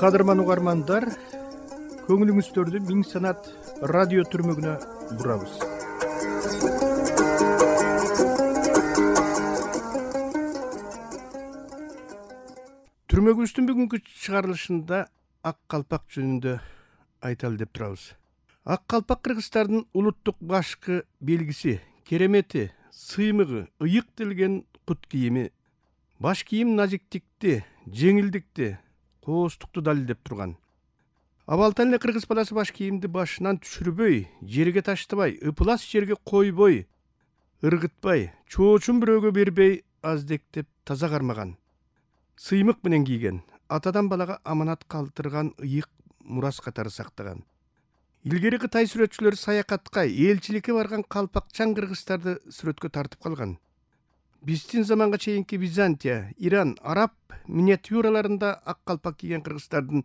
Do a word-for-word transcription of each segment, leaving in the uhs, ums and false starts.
Кадырман угармандар, көңүлүңүздөрдү Миң Санат радио түрмөгүнө бурабыз. Түрмөгүбүздүн бүгүнкү чыгарылышында ак калпак жөнүндө айталы деп турабыз. Ак калпак кыргыздардын улуттук башкы белгиси, керемети, сыймыгы, ыйык тилген кут кийими. Баш кийим назиктикти, жеңилдикти, кооздукту далилдеп турган. Абалдан эле кыргыз баласы баш кийимди башынан түшүрбөй, жерге таштабай, ыпылас жерге койбой, ыргытпай, чоочун бирөөгө бербей, аздектеп таза кармаган. Сыймык менен кийген, атадан балага аманат калтырган ыйык мурас катары сактаган. Илгери Кытай сүрөтчүлөрү саякатка, элчиликке барган калпакчан кыргыздарды сүрөткө тартып калган. Биздин заманга чейинки Византия, Иран, Араб миниатюраларында ак калпак кийген кыргыздардын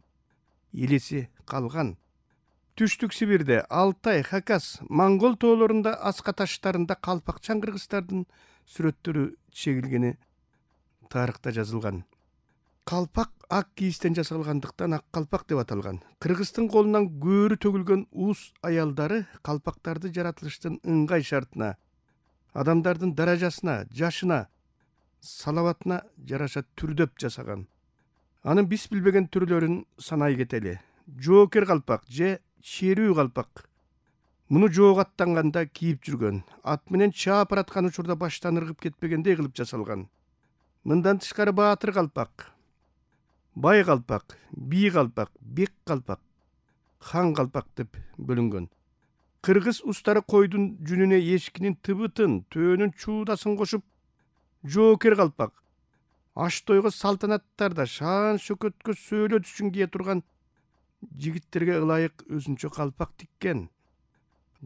элеси калган. Түштүк Сибирде, Алтай, Хакас, Монгол тоолорунда, аска таштарында калпакчан кыргыздардын сүрөттөрү чегилгени тарыхта жазылган. Калпак ак кийистен жасалгандыктан ак калпак деп аталган. Кыргыздын колунан көөрү төгүлгөн уус аялдары калпактарды жаратылыштын ыңгай шартына, адамдардын даражасына, жашына, салабатына жараша түрдөп жасаган. Анын биз билбеген түрлөрүн санай кетели. Жоокер калпак же шерүү калпак. Муну жоого аттанганда кийип жүргөн. Ат менен чаап бараткан учурда баштан ыргып кетпегендей кылып жасалган. Мындан тышкары баатыр калпак, бай калпак, бий калпак, бек калпак, хан калпак деп бөлүнгөн. Кыргыз устары койдун жүнүнө эшкинин тыбытын, төөнүн чуудасын кошуп, жоокер калпак, аш тойго салтанаттарда шаан шөкөткө сөөлөт үчүн кие турган жигиттерге ылайык өзүнчө калпак тиккен.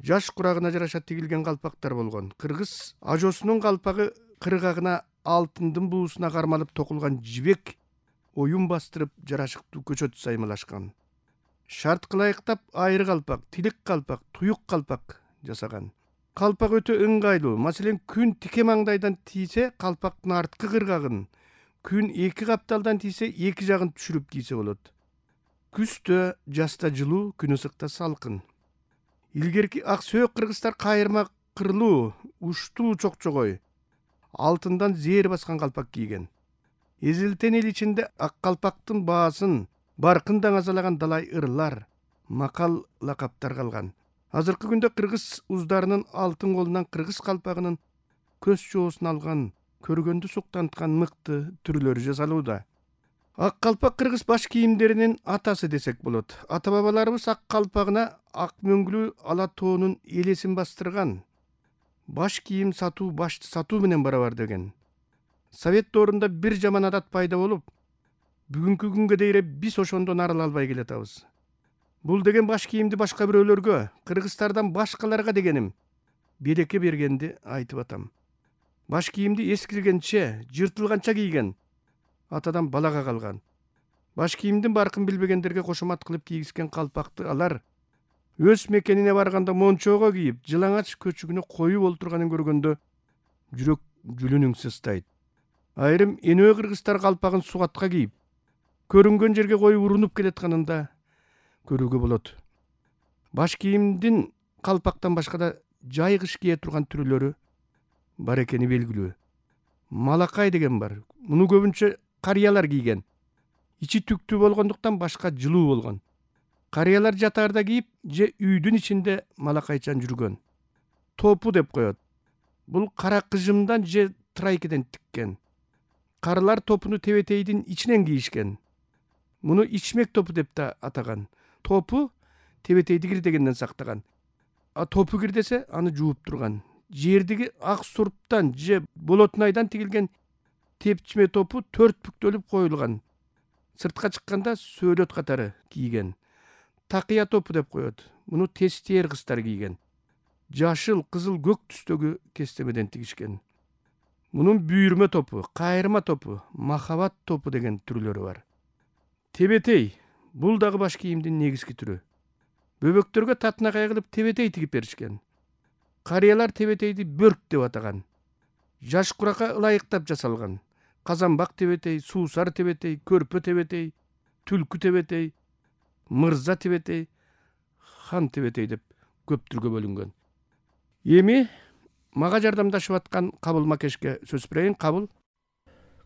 Жаш курагына жараша тигилген калпактар болгон. Кыргыз ажосунун калпагы кыргагына алтындын буусуна кармалып токулган жибек оюн бастырып жарашыктуу көчөт саймалашкан. Шарт ылайыктап айры калпак, тилик калпак, туюк калпак жасаган. Калпак өтө ыңгайлуу. Маселен, күн тике маңдайдан тийсе, калпактын арткы кыргагын, күн эки капталдан тийсе, эки жагын түшүрүп кийсе болот. Күздө жазда жылуу, күн ысыкта салкын. Илгерки ак сөөк кыргыздар кайырма кырлуу, уштуу чокчогой, алтындан зээр баскан калпак кийген. Эзилтен эл ичинде ак калпактын баасын баркын даңазалаган далай ырлар, макал лакаптар калган. Азыркы күндө кыргыз уздарынын алтын колунан кыргыз калпагынын көз жоосун алган, көргөндү суктанткан мыкты түрлөрү жасалууда. Ак калпак кыргыз баш кийимдеринин атасы десек болот. Ата бабаларыбыз ак калпагына ак мөңгүлүү ала тоонун элесин бастырган. Баш кийим сатуу башты сатуу менен барабар деген. Совет доорунда бир жаман адат пайда болуп, бүгүнкү күнгө дейре биз ошондон арыла албай келатабыз. Бул деген баш кийимди башка бирөөлөргө, кыргыздардан башкаларга дегеним, береке бергенди айтып атам. Баш кийимди эскиргенче, жыртылганча кийген, атадан балага калган. Баш кийимдин баркын билбегендерге кошомат кылып кийгизген калпакты алар өз мекенине барганда мончоого кийип, жылаңач көчүгүнө коюп олтурганын көргөндө жүрөк жүлүнүң сыстайт. Айрым энөө кыргыздар калпагын сугатка кийип, көрүнгөн жерге коюп урунуп келатканында көрүүгө болот. Баш кийимдин калпактан башка да жай кыш кие турган түрлөрү бар экени белгилүү. Малакай деген бар. Муну көбүнчө карыялар кийген. Ичи түктүү болгондуктан башка жылуу болгон. Карыялар жатаарда кийип, же үйдүн ичинде малакайчан жүргөн. Топу деп коет. Бул кара кыжымдан же трайкеден тиккен. Карылар топуну тебетейдин ичинен кийишкен. Муну ичмек топу деп да атаган. Топу тебетейди кирдегенден сактаган. А топу кирдесе, аны жууп турган. Жердиги ак сурптан же болотнайдан тигилген тепчме топу төрт бүктөлүп коюлган. Сыртка чыкканда сөөлөт катары кийген. Такыя топу деп коет. Муну тестер кыздар кийген. Жашыл, кызыл, көк түстөгү кестемеден тигишкен. Мунун бүйүрмө топу, кайрма топу, махабат топу деген түрлөрү бар. Тебетей, бул дагы баш кийимдин негизги түрү. Бөбөктөргө татынакай кылып тебетей тигип беришкен. Карыялар тебетейди бөрк деп атаган. Жаш куракка ылайыктап жасалган. Казанбак тебетей, суусар тебетей, көрпө тебетей, түлкү тебетей, мырза тебетей, хан тебетей деп көп түргө бөлүнгөн. Эми мага жардамдашып аткан Кабыл Макешке сөз берейин. Кабыл.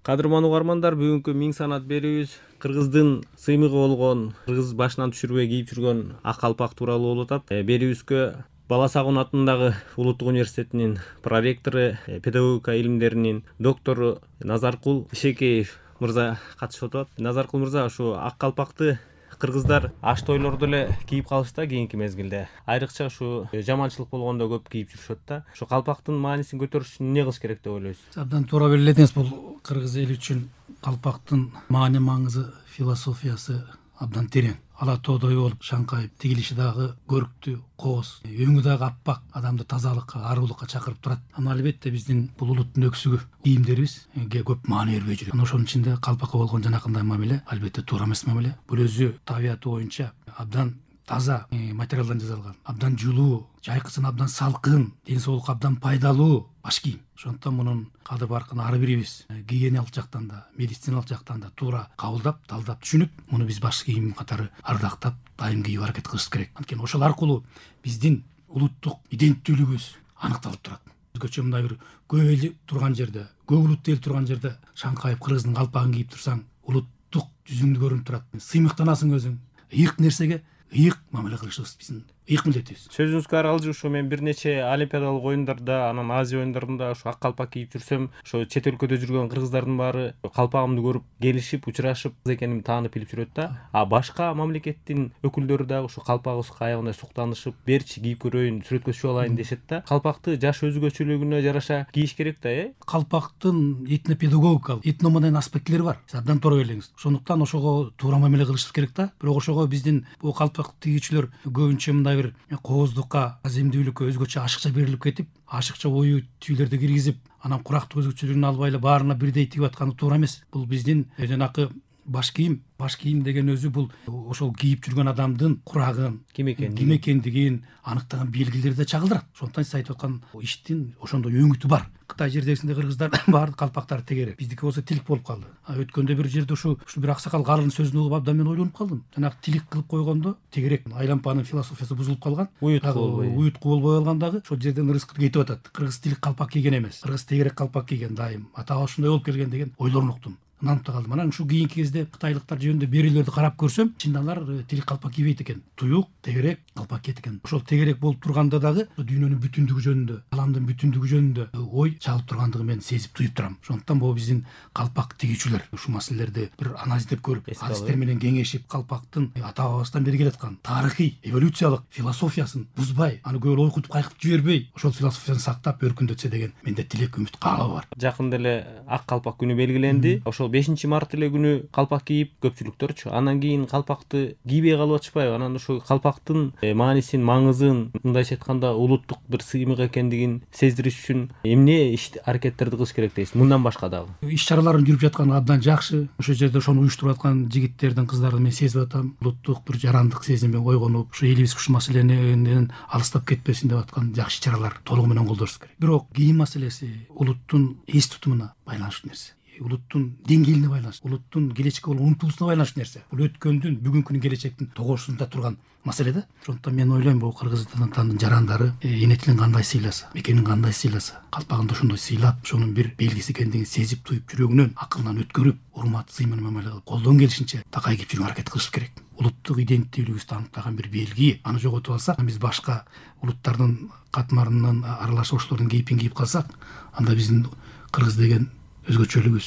Кадырман угармандар, бүгүнкү Миң санат берүүбүз кыргыздын сыймыгы болгон, кыргыз башынан түшүрбөй кийип жүргөн ак калпак тууралуу болуп атат. Берүүбүзгө Бала Сагун атындагы Улуттук университетинин проректору, педагогика илимдеринин доктору Назаркул Ишекеев мырза катышып атат. Назаркул мырза, ушу ак калпакты кыргыздар аш тойлордо эле кийип калышта кийинки мезгилде. Айрыкча ушу жаманчылык болгондо көп кийип жүрүшөт да. Ушу калпактын маанисин көтөрүш үчүн эмне кылыш керек деп ойлойсуз? Абдан туура белгиледиңиз. Бул кыргыз эли үчүн калпактын маани маңызы, философиясы абдан терең. Ала тоодой болуп шаңкайып тигилиши дагы көрктүү, кооз, өңү дагы аппак, адамды тазалыкка, аруулукка чакырып турат. Ана албетте биздин бул улуттун өксүгү кийимдерибизге көп маани бербей жүрөт. Ошонун ичинде калпакка болгон жанакындай мамиле албетте туура эмес мамиле. Бул өзү табияты боюнча абдан таза материалдан жасалган, абдан жылуу, жайкысын абдан салкын, ден соолукка абдан пайдалуу баш кийим. Ошондуктан мунун кадыр баркын ар бирибиз гигиеналык жактан да, медициналык жактан да туура кабылдап, талдап түшүнүп, муну биз баш кийим катары ардактап, дайым кийип аракет кылышыбыз керек. Анткени ошол аркылуу биздин улуттук иденттүүлүгүбүз аныкталып турат. Өзгөчө мындай бир көп эл турган жерде, көп улуттуу эл турган жерде шаңкайып кыргыздын калпагын кийип турсаң, улуттук жүзүңдү көрүнүп турат. Сыймыктанасың өзүң. Ыйык нерсеге ыйык мамиле кылышыбыз биздин ыйык милдетибиз. Сөзүңүзгө аралжы ушу мен бир нече олимпиадалык оюндарда, анан Азия оюндарында ушу ак калпак кийип жүрсөм, ошо чет өлкөдө жүргөн кыргыздардын баары калпагымды көрүп, келишип, учурашып, экенимди таанып билип жүрөт да. А башка мамлекеттин өкүлдөрү дагы ушу калпагыбызга аябагандай суктанышып, берчи кийип көрөйүн, сүрөткө түшүп алайын дешет да. Калпакты жаш өзгөчөлүгүнө жараша кийиш керек да, э? Калпактын этнопедагогикалык, этномодерн аспекттери бар. Сиз абдан туура белгилеңиз. Ошондуктан ошого туура мамиле кылышыбыз керек да. Бирок ошого биздин бул калпак тигүүчүлөр көбүнчө мындай бир кооздукка, аземдүүлүккө өзгөчө ашыкча берилип кетип, ашыкча ою түүлөрдү киргизип, анан курактык өзгөчөлүгүн албай эле баарына бирдей тигип атканы туура эмес. Бул биздин жанакы баш кийим, баш кийим деген өзү бул ошол кийип жүргөн адамдын курагын, ким экенин, ким экендигин аныктаган белгилерди чагылдырат. Ошондуктан сиз айтып аткан иштин ошондой өңүтү бар. Кытай жердегисинде кыргыздар баардык калпактары тегерек. Биздики болсо тилик болуп калды. Өткөндө бир жерде ушу ушу бир аксакал калын сөзүн угуп абдан мен ойлонуп калдым. Жанагы тилик кылып койгондо тегерек айлампанын философиясы бузулуп калган. Уютку болбой калган дагы ошол жерден ырыскы кетип атат. Кыргыз тилик калпак кийген эмес. Кыргыз тегерек калпак кийген дайым. Атабы ушундай болуп келген деген ойлорун уктум. Нанып калдым. Анан ушу кийинки кезде кытайлыктар жөнүндө берүүлөрдү карап көрсөм, чын алар тилик калпак кийбейт экен. Туюк, тегерек калпак кийет экен. Ошол тегерек болуп турганда дагы дүйнөнүн бүтүндүгү жөнүндө, аламдын бүтүндүгү жөнүндө ой чалып тургандыгын мен сезип туюп турам. Ошондуктан бул биздин калпак тигүүчүлөр ушу маселелерди бир анализдеп көрүп, адистер менен кеңешип, калпактын ата бабабыздан бери келаткан тарыхый, эволюциялык философиясын бузбай, аны көп ойкутуп кайкытып жибербей, ошол философияны сактап өркүндөтсө деген менде тилек, үмүт, каалоо бар. Жакында эле ак калпак күнү белгиленди. Ошол бешинчи март эле күнү калпак кийип көпчүлүктөрчү. Анан кийин калпакты кийбей калып атышпайбы? Анан ошо калпактын маанисин, маңызын, мындайча айтканда улуттук бир сыймык экендигин сездириш үчүн эмне иш аракеттерди кылыш керек дейсиз? Мындан башка дагы иш чараларын жүрүп жатканы абдан жакшы. Ошол жерде ошону уюштуруп аткан жигиттердин, кыздардын мен сезип атам. Улуттук бир жарандык сезимге ойгонуп, ушу элибиз ушул маселенен алыстап кетпесин деп аткан жакшы чаралар толугу менен колдонушубуз керек. Бирок кийим маселеси улуттун эс тутумуна байланыштуу нерсе. Улуттун деңгээлине байланыштуу, улуттун келечекке болгон умтулусуна байланыштуу нерсе. Бул өткөндүн, бүгүнкүнүн, келечектин тогошусунда турган маселе да. Ошондуктан мен ойлойм, бул кыргызстандын жарандары эне тилин кандай сыйласа, мекенин кандай сыйласа, калпагын да ошондой сыйлап, ошонун бир белгиси экендигин сезип туюп, жүрөгүнөн, акылынан өткөрүп, урмат, сый менен мамиле кылып, колдон келишинче такай кийип жүргөнгө аракет кылыш керек. Улуттук иденттүүлүгүбүздү аныктаган бир белги. Аны жоготуп алсак, биз башка улуттардын катмарынан аралашып ошолордун кейпин кийип калсак, анда биздин кыргыз деген өзгөчөлүгүбүз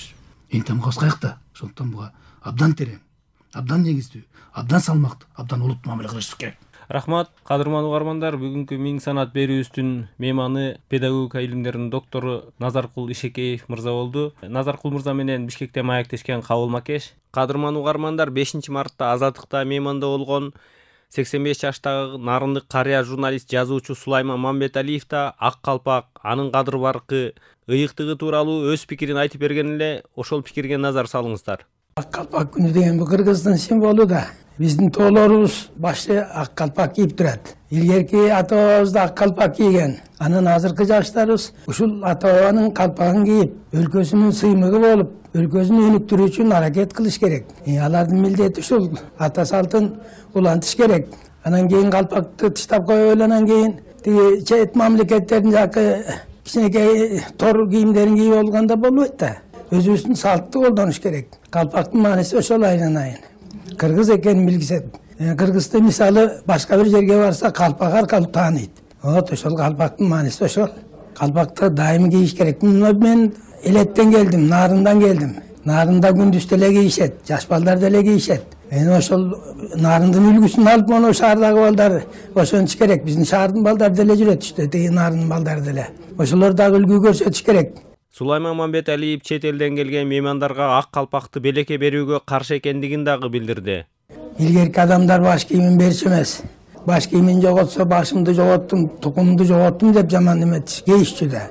энтемгабыз каякта. Ошондуктан буга абдан терең, абдан негиздүү, абдан салмактуу, абдан улуттуу мамиле кылышыбыз керек. Рахмат, кадырман угармандар. Бүгүнкү Миң санат берүүбүздүн мейманы педагогика илимдеринин доктору Назаркул Ишекеев мырза болду. Назаркул мырза менен Бишкекте маектешкен Кабыл Макеш. Кадырман угармандар, бешинчи мартта Азаттыкта мейманда болгон сексен беш жаштагы нарындык карыя журналист, жазуучу Сулайман Мамбеталиев да ак калпак, анын кадыр баркы, ыйыктыгы тууралуу өз пикирин айтып берген эле. Ошол пикирге назар салыңыздар. Ак калпак күнү деген бул Кыргыздын символу да. Биздин тоолорубуз башты ак калпак кийип турат. Илгерки ата бабабыз да ак калпак кийген. Анан азыркы жаштарыбыз ушул ата бабанын калпагын кийип, өлкөсүнүн сыймыгы болуп, өлкөсүн өнүктүрүү үчүн аракет кылыш керек. Алардын милдети ушул ата салтын улантыш керек. Анан кийин калпакты тыштап коюп эле анан кийин тиги чет мамлекеттердин жакы кичинекей тор кийимдерин кийип болгондо болбойт да. Өзүбүздүн салтты колдонуш керек. Калпактын мааниси ошол айланайын. Кыргыз экенин билгизет. Кыргызды мисалы башка бир жерге барса калпак аркылуу тааныйт. Вот ошол калпактын мааниси ошол. Калпакты дайыма кийиш керек. Мен Элеттен келдим, Нарындан келдим. Нарында күндүз деле кийишет, жаш балдар деле кийишет. Эми ошол Нарындын үлгүсүн алып мону шаардагы балдар ошонуш керек. Биздин шаардын балдары деле жүрөт иште, тиги Нарындын балдары деле. Ошолор дагы үлгү көрсөтүш керек. Сулайман Мамбеталиев чет элден келген меймандарга ак калпакты белекке берүүгө каршы экендигин дагы билдирди. Илгерки адамдар баш кийимин берчү эмес. Баш кийимин жоготсо башымды жоготтум, тукумду жоготтум деп жаман эметчи, кейишчү да.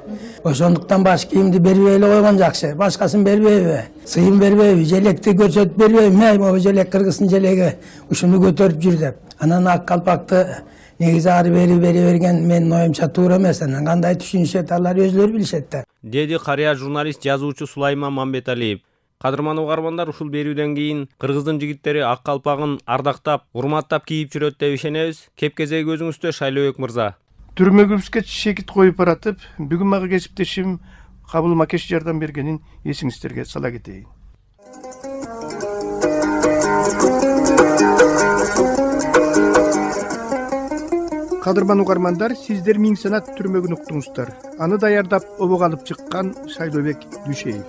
Ошондуктан баш кийимди бербей эле койгон жакшы. Башкасын бербейби? Сыйын бербейби? Желекти көрсөтүп бербейби? Мей могу желек Кыргыздын желеги ушуну көтөрүп жүр деп. Анан ак калпакты негизи ары бери бери берген менин оюмча туура эмес. Анан кандай түшүнүшөт, алар өзүлөрү билишет да. Деди карыя журналист, жазуучу Сулайман Мамбеталиев. Кадырман угармандар, ушул берүүдөн кийин Кыргыздын жигиттери ак калпагын ардактап, урматтап кийип жүрөт деп ишенебиз. Кеп кезеги өзүңүздө, Шайлообек мырза. Түрмөгүбүзгө шекит коюп баратып, бүгүн мага кесиптешим Кабыл Макеш жардам бергенин эсиңиздерге сала кетейин. Кадырман угармандар, сиздер Миң Санат түрмөгүн уктуңуздар. Аны даярдап, обого алып чыккан Шайлообек Дүйшеев.